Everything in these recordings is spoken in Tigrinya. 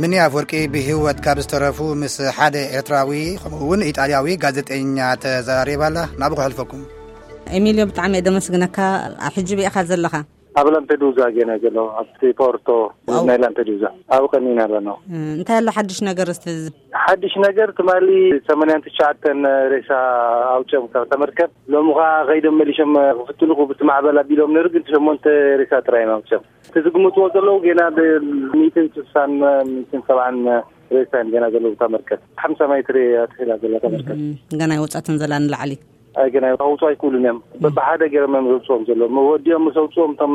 ምኒ ኣፍወርቂ ብህይወት ካብ ዝተረፉ ምስ ሓደ ኤርትራዊ ከምኡ እውን ኢጣልያዊ ጋዜጠኛ ተዘራሪባ ኣላ። ናብኡ ክሕልፈኩም። ኤሚልዮ፣ ብጣዕሚ እየ ደመስግነካ። ኣብ ሕጂ ብኢኻ ዘለኻ? ኣብ ላምፔዱዛ ገና ዘሎ ኣብቲ ፖርቶ። ዋው። ናይ ላምፔዱዛ ኣብ ቀኒና ኣለና። እ፣ እንታይ ኣሎ ሓድሽ ነገር እስቲ? ሓድሽ ነገር ትማሊ ሰማንያን ትሽዓተን ሬሳ ኣውፅኦም ካብ ተመርከብ። ሎሚ ከዓ ከይዶም መሊሾም ክፍትኑ ብቲ ማዕበል ኣቢሎም ነይሩ፣ ግን ሸሞንተ ሬሳ ጥራይ እዮም ኣውፅኦም። እቲ ዝግምትዎ ዘለዉ ገና ብ ሚእትን ስሳን ሚእትን ሰብዓን ሬሳ እዮም ገና ዘለዉ እታ መርከብ። ሓምሳ ማይትሪ ኣትሒላ ዘላ እታ መርከብ። እም፣ ገና ይወፃትን ዘላ ንላዕሊ። ኣይ፣ ገና ከውፁ ኣይክእሉን እዮም። በብሓደ ገይሮም እዮም ዘውፅኦም ዘለዉ። ወዲኦም ምስ ኣውፅኦም እቶም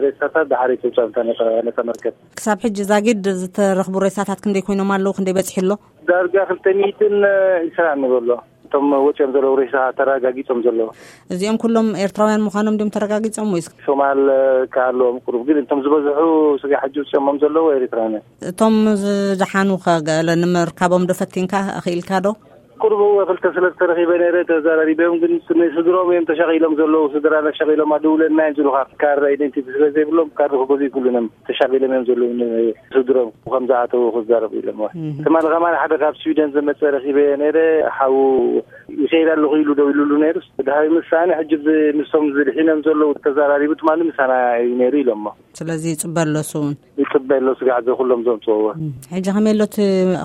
ሬሳታት ድሓር ይተውፅኦም እታ ነታ መርከብ። ክሳብ ሕጂ ዛጊድ ዝተረኽቡ ሬሳታት ክንደይ ኮይኖም ኣለዉ? ክንደይ በፂሑ ኣሎ? ዳርጋ ክልተ ሚእትን ዕስራን ንበሎ። እቶም ወፂኦም ዘለዉ ሬሳ ተረጋጊፆም ዘለዉ። እዚኦም ኩሎም ኤርትራውያን ምዃኖም ድዮም ተረጋጊጾም ወይስ? ሶማል ከ ኣለዎም ቅሩብ፣ ግን እቶም ዝበዝሑ ስጋ ሕጂ ውፅኦሞም ዘለዉ ኤርትራውያን እዮም። እቶም ዝደሓኑ ከ ገለ ንምርካቦም ዶ ፈቲንካ? ኣኽኢልካ ዶ? ቅሩብ እወ ክልተ ሰለስተ ረኺበ ነይረ፣ ተዘራሪበዮም፣ ግን ስድሮም እዮም ተሻቒሎም ዘለዉ። ስድራና ተሻቒሎም ኣደውለና እዮም ዝብሉኻ። ካርድ ኣይደንቲቲ ስለ ዘይብሎም ካርድ ክገዝኡ ይክእሉን እዮም። ተሻቒሎም እዮም ዘለዉ። ስድሮም ከም ዝኣተዉ ክዛረቡ ኢሎም። እህ። ትማሊ ከማን ሓደ ካብ ስዊደን ዝመጸ ረኺበ ነይረ። ሓው ይኸይድ ኣለኹ ኢሉ ደው ኢሉሉ ነይሩ። ድሃይ ምሳኒ ሕጂ ብ-፣ ምስቶም ዝድሒኖም ዘለዉ ተዘራሪቡ ትማሊ ምሳና እዩ ነይሩ ኢሎሞ። ስለዚ ይጽበ ኣሎ እሱ እውን። ይጽበ ኣሎ ስጋዕ ዘኹሎም ዘምጽእዎ። እም፣ ሕጂ ከመይ ኣሎ እቲ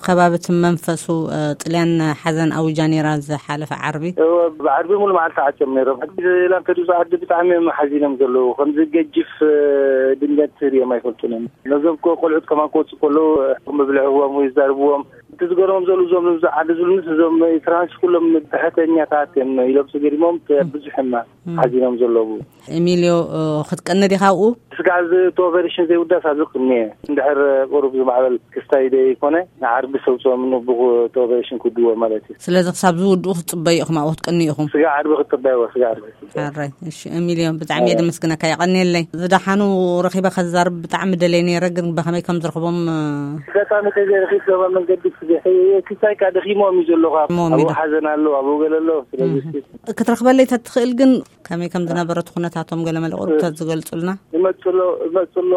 ከባቢ እቲ መንፈሱ፣ እ፣ ጥልያን ሓዘን ኣዊጃ ነይራ ዝሓለፈ ዓርቢ? እወ፣ ብዓርቢ ሙሉ መዓልቲ ዓጽዮም ነይሮም። ሕጂ ላምፔዱዛ ዓዲ ብጣዕሚ እዮም ሓዚኖም ዘለዉ። ከምዚ ገጅፍ፣ እ፣ ድንገት ሪኦም ኣይፈልጡን እዮም። ነዞም እኮ ቆልዑት ከማን ክወፁ ከለዉ፣ እ፣ መብልዒ ህቦም ወይ ይዛርብዎም። እቲ ዝገርሞም ዘለዉ እዞም ኣብዚ ዓዲ ዝብሉንስ እዞም ኤርትራውያንስ ኩሎም ትሕተኛታት እዮም ኢሎም ተገሪሞም፣ እ፣ ብዙሕ እዮም እም። ሓዚኖም ዘለዉ። ኤሚልዮ፣ እ፣ ክትቀኒ ዲኻ ኣብኡ? ስጋዕ እዚ እቲ ኦፐሬሽን ዘይውዳስ ኣብዚ ቅኒ እየ። እንድሕር ቁሩብ ዝማዕበል ክስታይ ዘይኮነ፣ ንዓርቢ ሰውፅኦም ንብኹ እቲ ኦፐሬሽን ክውድዎ ማለት እዩ። ስለዚ ክሳብ ዝውድኡ ክትጽበዩ ኢኹም፣ ኣብኡ ክትቅንዩ ኢኹም? ስጋ ዓርቢ ክትጽበይዎ፣ ስጋ ዓርቢ ክትጽበይ። ሕራይ፣ እሺ፣ ኤሚልዮ፣ ብጣዕሚ እየ ሕራይ። ደመስግነካ፣ የቐንየለይ። ዝደሓኑ ረኺበ ከዛርብ ብጣዕሚ ደለየ ነይረ፣ ግን ብኸመይ ከም ዝረኽቦም፣ እ፣ ኣጋጣሚ ከይዘይረኺብ ገባ መንገዲ ክስታይ፣ ክስታይ ከኣ ደኺሞም እዩ ዘሎ፣ ካብ ደኺሞም ኣብኡ እዩ። ሓዘን ኣሎ፣ ኣብኡ ገለ ኣሎ። ስለዚ እህ። እስኪ ክትረኽበለይ ተትኽእል ግን ከመይ ከም ዝነበረ እቲ ኩነታቶም ገለ መለ ቁሩብ እ። ተዝገልጹልና? ይመጽሎ፣ ይመጽሎ።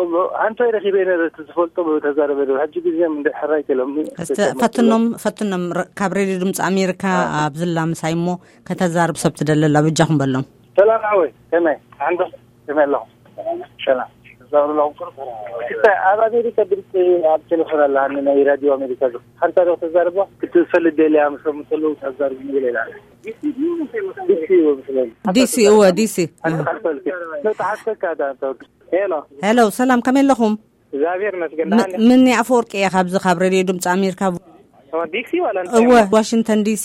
ኣንታይ ረኺበ ነይረ፣ እቲ ዝፈልጦ ተዛረበ ነይረ። ሕጂ ግዜ እንደ ሕራይ ከሎም እስቲ ፈትኖም፣ ፈትኖም ረ-፣ ካብ ሬድዮ ድምፂ ኣሜሪካ አ። ኣብ ዝላ ምሳይ እሞ ከተዛርብ ሰብ ትደለላ በጃኹም በሎም። ሰላም ሓወይ፣ ከመይ? ዓንዶ ከመይ ኣለኹም? ሰላም። ተዛረቡ ኣለኹም። ክስታይ፣ ኣብ ኣሜሪካ ድምፂ ኣብ ቴሌፎን ኣለሃኒ፣ ናይ ራድዮ ኣሜሪካ ዝ-፣ ሓንታ ዶ ተዛርባ? ክትፈልጥ ደልያ፣ ምስ፣ ምስ ኣለዉ ተዛርቡ ይብል ኢላ። ዲሲ እወ፣ ብስለዚ። ዲሲ እወ፣ ዲሲ። ኣንተ ካልፈልክ። ኖ፣ ተሓተካ ዳ፣ ኣንተ ወዲ። ሄሎ። ሄሎ፣ ሰላም፣ ከመይ ኣለኹም? እግዚኣብሔር ይመስገን፣ ም-፣ ደሓን። ምኒ ኣፈወርቂ እየ፣ ካብዚ ካብ ሬድዮ ድምፂ ኣሜሪካ። ኦ፣ ዲሲ ዋላ እንታይ እወ፣ እሞ? ዋሽንግተን ዲሲ።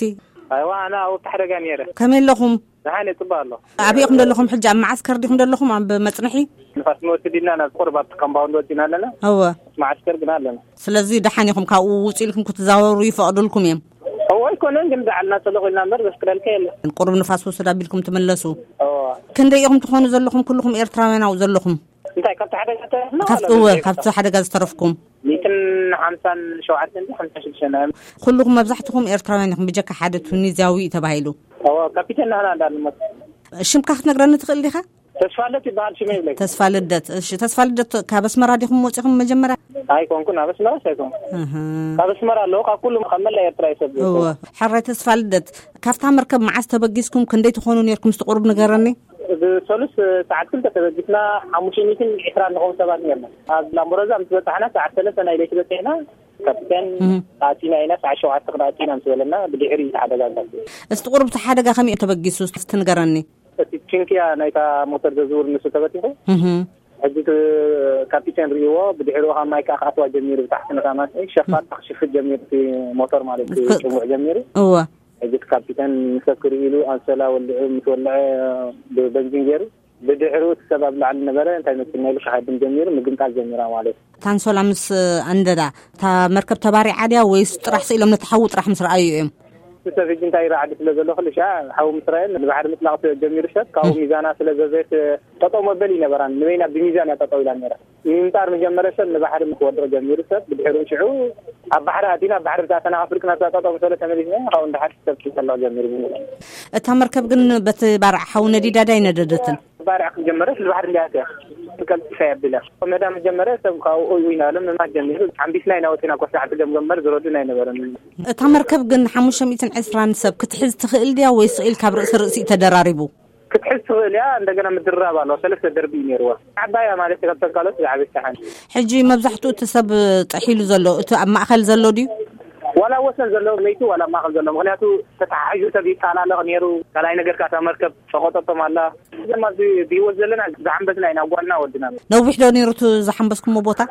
ኣይዋ፣ ኣነ ኣብ ሓደጋ ነይረ። ከመይ ኣለኹም? ደሓን እየ፣ ጽቡቕ ኣሎ። ኣበይ ኢኹም ዘለኹም ሕጂ? ኣብ መዓስከር ዲኹም ዘለኹም? ኣብ መጽንሒ? ንፋስ መወስድ ኢልና ናብ ቁርብ ኣብቲ ካምፓውንድ ወጺና ኣለና። እወ። መዓስከር ግን ኣለና። ስለዚ ደሓን ኢኹም፣ ካብኡ ውጹ ኢልኩም ክትዛወሩ ይፈቕዱልኩም እዮም? እወ፣ ኣይኮነን ግን፣ ዳዕልና ጽልቕ ኢልና እምበር ዘፍቅደልካ የለን። ቁሩብ ንፋስ ውስድ ኣቢልኩም ትምለሱ። እወ። ክንደይ ኢኹም ትኾኑ ዘለኹም፣ ኩልኹም ኤርትራውያን ኣብኡ ዘለኹም? እንታይ፣ ካብቲ ሓደጋ ዝተረፍና ካብቲ፣ ዋላ እወ፣ ብዘይ ካብቲ ሓደጋ ዝተረፍኩም? ሚእትን ሓምሳን ሸውዓተን ድዩ፣ ሓምሳን ሽዱሽተን እዮም። ኩልኹም መብዛሕትኹም ኤርትራውያን ኢኹም፣ ብጀካ ሓደ ቱኒዝያዊ እዩ ተባሂሉ። እወ፣ ካፒቴን ናህና እንዳልሞት። ሽምካ ክትነግረኒ ትኽእል ዲኻ? ተስፋለት ይበሃል ሽመይ ይብለኪ። ተስፋ ልደት። እሺ፣ ተስፋ ልደት ካብ ኣስመራ ዲኹም ወጺኹም መጀመርያ? ኣይኮንኩን፣ ኣብ ኣስመራስ ኣይኮንኩን። እህ። ካብ ኣስመራ ኣለዉ፣ ካብ ኩሉ፣ ካብ መላእ ኤርትራ ይሰብ እወ፣ ሕራይ ተስፋ ልደት፣ ካብታ መርከብ መዓስ ተበጊስኩም፣ ክንደይ ትኾኑ ኔርኩም? እስቲ ቁሩብ ንገረኒ። ብሰሉስ ሰዓት ክልተ ተበጊስና፣ ሓሙሽተ ሚእትን ዕስራን ንኸውን ሰባት ኔርና። ኣብ ላምበረዛ ምስ በጻሕና ሰዓት ሰለስተ ናይ ለይቲ በጺሕና፣ ካፒቴን እህ። ኣቲና ኢና፣ ሰዓት ሸውዓተ ክንኣቱ ኢና ምስ በለና፣ ብድሕሪ እዩ ተሓደጋጋፊ። እስቲ ቁሩብ እቲ ሓደጋ ከመይ እዩ ተበጊሱ? እስቲ ንገረኒ። እቲ ችንክያ ናይታ ሞተር ዘዝውር ንሱ ተበቲኹ። እህ። ሕጂ እቲ ካፒቴን ርእይዎ፣ ብድሕሪኡ ካብ ማይ ከዓ ክኣትዋ ጀሚሩ፣ ብታሕቲ ነታ ማይ ሸፋን ክሽፍት ጀሚሩ፣ እቲ ሞተር ማለት እዩ፣ ክ-፣ ጽንቡዕ ጀሚሩ። እወ። ሕጂ እቲ ካፒቴን ንሰብ ክርኢ ኢሉ ኣንሶላ ወልዑ፣ ምስ ወልዐ ብበንዚን ገይሩ፣ ብድሕሪኡ እቲ ሰብ ኣብ ላዕሊ ነበረ፣ እንታይ መሲልና ኢሉ ክሃድም ጀሚሩ፣ ምግምጣል ጀሚራ ማለት እዩ። እታ ኣንሶላ ምስ ኣንደዳ፣ እታ መርከብ ተባሪዓ ድያ ወይስ ጥራሕ ስኢሎም ነቲ ሓዊ ጥራሕ ምስ ረኣዩ እዮም? እቲ ሰብ ሕጂ እንታይ ይረዓዲ ስለ ዘሎ፣ ክልሻ ሓዊ ምስ ረኣየን ንባሕሪ ምጥላቕ ጀሚሩ ሰብ፣ ካብኡ እም። ሚዛና ስለ ዘዘየት ጠጠው መበል ይነበራን፣ ንበይና ብሚዛን እያ ጠጠው ኢላ ነይራ። ምምጣር ምስ ጀመረ ሰብ ንባሕሪ ምስ ወድቕ ጀሚሩ ሰብ፣ ብድሕሪኡ ሽዑ ኣብ ባሕሪ ኣቲና፣ ኣብ ባሕሪ ምስ ኣተና፣ ኣፍሪቅና እዛ ጠጠው ምስ በለ ተመሊስና፣ ካብኡ ንደሓር ሰብ ክጠልቕ ጀሚሩ ብምሉእ። እታ መርከብ ግን በቲ ባርዕ ሓዊ ነዲዳ ዳይ ነደደትን? ባርዕ ክጀመረ ስለ ባሕሪ እንዳያተ ቀልጢፋ የብለ መዳ መጀመረ ሰብ ካብኡ ይናለ ምማት ጀሚሩ ሓምቢስና ኢና ወፂና ኮስዓት ገምገም በር ዝረዱን ኣይነበረን። እታ መርከብ ግን ሓሙሽተ ሚእትን ዕስራን ሰብ ክትሕዝ ትኽእል ድያ ወይስ ኢል ካብ ርእሲ ርእሲ እዩ ተደራሪቡ? ክትሕዝ ትኽእል እያ። እንደገና ምድራብ ኣለዎ። ሰለስተ ደርቢ እዩ ነይርዎ። ዓባያ ማለት እዩ፣ ካብተን ካልኦት ዝዓበየት ሓንቲ። ሕጂ መብዛሕትኡ እቲ ሰብ ጥሒሉ ዘሎ እቲ ኣብ ማእኸል ዘሎ ድዩ? ዋላ ወሰን ዘሎ መይቱ ዋላ ኣብ ማእኸል ዘሎ፣ ምኽንያቱ ተተሓሒዙ ሰብ ይጣላለቕ ነይሩ። ካልኣይ ነገር ካታ መርከብ ሸቆጠቶም ኣላ። እዞም ኣብዚ ብህይወት ዘለና ዝሓንበስና ኢና፣ ጓልና ወድና። ነዊሕ ዶ ነይሩ እቲ ዝሓንበስኩሞ ቦታ?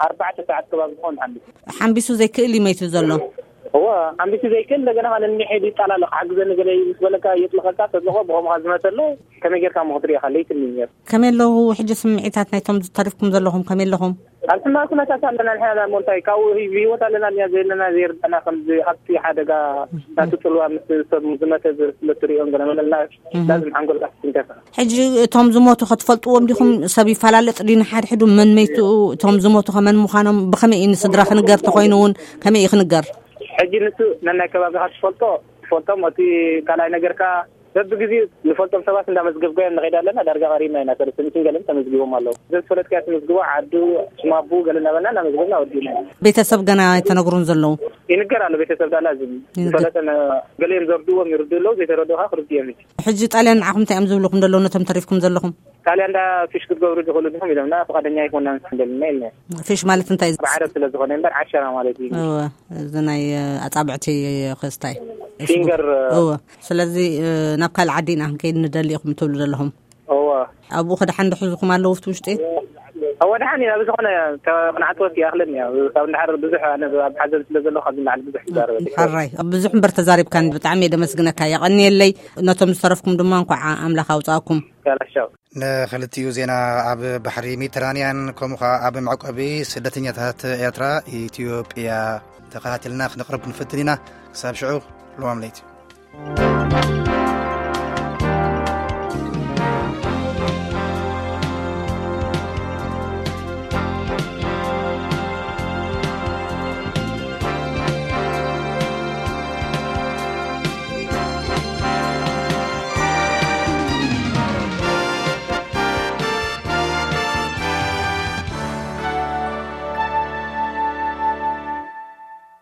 ኣርባዕተ ሰዓት ከባቢ ዝኾን ሓንቢስ። ሓንቢሱ ዘይክእል እዩ መይቱ ዘሎ። እዎ፣ ሓንቢሱ ዘይክእል እንደገና ኸዓ ንንሕድ ይጣላለቕ፣ ሓግዘኒ ገለ ምስ በለካ የጥልቐካ፣ ተጥልቖ ብኸምኡ ዝመተ ኣሎ። ከመይ ጌርካ እሞ ክትሪኦ ኢኻ? ለይቲ እኒሄ ነይሩ። ከመይ ኣለዉ ሕጂ ስምዒታት ናይቶም ዝተረፍኩም ዘለኹም? ከመይ ኣለኹም? ኣብ ሕማቕ ኩነታት ኣለና ንሕና እሞ እንታይ፣ ካብኡ ህይ-፣ ብህይወት ኣለና እኒኣ ዘለና ዘይርዳና፣ ከምዚ ኣብቲ ሓደጋ ናቱ ጽልዋ ምስ ሰብ ዝመተ ዝ-፣ ስለ ትሪኦን ገለ መለና እህ። ላዝም ሓንጎልካ ክትንከፍ። ሕጂ እቶም ዝሞቱ ከ ትፈልጥዎም ዲኹም? ሰብ ይፈላለጥ ድዩ ንሓድሕዱ መን መይቱ? እቶም ዝሞቱ ከ መን ምዃኖም ብኸመይ እዩ ንስድራ ክንገር ተኾይኑ እውን ከመይ እዩ ክንገር? ሕጂ ንሱ ነናይ ከባቢኻ ትፈልጦ፣ ትፈልጦም፣ እቲ ካልኣይ ነገር ከኣ በብግዜኡ ንፈልጦም ሰባት እንዳመዝገብካዮም ንኸይድ ኣለና። ዳርጋ ቀሪብና ኢና፣ ሰለስተ ሚእትን ገለን ተመዝጊቦም ኣለዉ። ዘዝፈለጥካዮ ትምዝግቦ፣ ዓዱ፣ ሽማቡ ገለ እናበልና እናመዝገብና ወዲእና ኢና። ቤተሰብ ገና ኣይተነግሩን ዘለዉ? ይንገር ኣሎ፣ ቤተሰብ ዳላ ዝም ይንገር። ዝፈለጠ ነ-፣ ገሊኦም ዘርድዎም ይርድኡ ኣለዉ፣ ዘይተረድኡ ከዓ ክርድኡ እዮም። ሕጂ ጣልያን ንዓኹም እንታይ እዮም ዝብልኹም ዘለዉ ነቶም ተሪፍኩም ዘለኹም? ጣልያን ዳ ፊሽ ክትገብሩ ትኽእሉ ዲኹም ኢሎምና፣ ፍቓደኛ ኣይኮናን ስንደልና ኢልና። ፊሽ ማለት እንታይ? ብዓረብ ስለ ዝኾነ እምበር ዓሸራ ማለት እዩ። እወ፣ እዚ ናይ ኣጻብዕቲ ክስታይ። ፊንገር። እወ። ስለዚ ናብ ካልእ ዓዲ ኢና ክንከይድ ንደሊ ኢኹም ትብሉ ዘለኹም? እወ። ኣብኡ ከ ደሓን ድሕዙኹም ኣለዉ ኣብቲ ውሽጢ? እወ፣ ደሓን ኢና። ብዝኾነ ክንዓጽወት ይኣኽለኒ እያ። ካብ እንድሓር ብዙሕ ኣነ ኣብ ሓዘን ስለ ዘለኹ ካብዚ ንላዕሊ ብዙሕ ይዛረብ ኣይደልን። ሕራይ። ብዙሕ እምበር ተዛሪብካኒ። ብጣዕሚ እየ ደመስግነካ። የቐንየለይ። ነቶም ዝተረፍኩም ድማ እንኳዕ ኣምላኽ ኣውጻእኩም። ያላሻው። ንኽልቲኡ ዜና ኣብ ባሕሪ ሜዲተራንያን ከምኡ ኸኣ ኣብ መዕቆቢ ስደተኛታት ኤርትራ ኢትዮጵያ ተኸታቲልና ክነቕርብ ክንፍትን ኢና። ክሳብ ሽዑ ልዋም ለይቲ።